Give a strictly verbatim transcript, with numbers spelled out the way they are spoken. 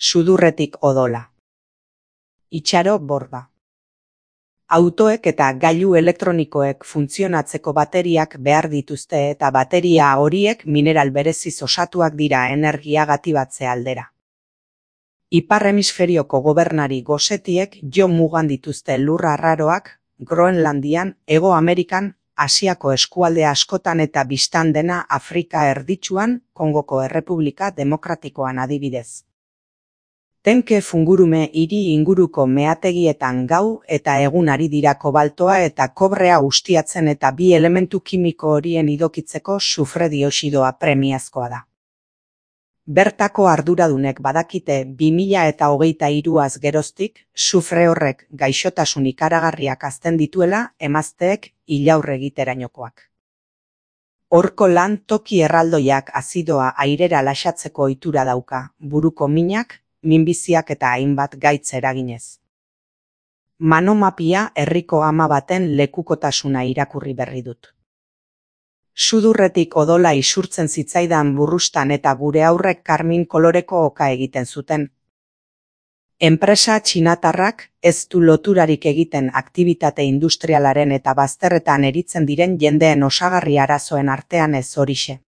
Sudurretik odola. Itxaro borda. Autoek eta gailu elektronikoek funtzionatzeko bateriak behar dituzte eta bateria horiek mineral bereziz osatuak dira energiagatik batze aldera. Ipar hemisferioko gobernari gosetiek jo mugan dituzte lur arraroak, Groenlandian, Hego Amerikan, Asiako eskualde askotan eta bistan dena Afrika erditsuan, Kongoko Errepublika Demokratikoan adibidez. Tenke fungurume hiri inguruko meategietan gau eta egun ari dira kobaltoa eta kobrea ustiatzen eta bi elementu kimiko horien idokitzeko sufre dioxidoa premiazkoa da. Bertako arduradunek badakite bi mila eta hogeita hiruaz geroztik, sufre horrek gaixotasun ikaragarriak hazten dituela emazteek ilaur egiterainokoak. Horko lan toki erraldoiak azidoa airera laxatzeko ohitura dauka, buruko minak, minbiziak eta hainbat gaitz eraginez. Manomapia herriko ama baten lekukotasuna irakurri berri dut. Sudurretik odola isurtzen zitzaidan burrustan eta gure aurrek karmin koloreko oka egiten zuten. Enpresa txinatarrak ez du loturarik egiten aktibitate industrialaren eta bazterretan eritzen diren jendeen osagarri arazoen artean ez horixe.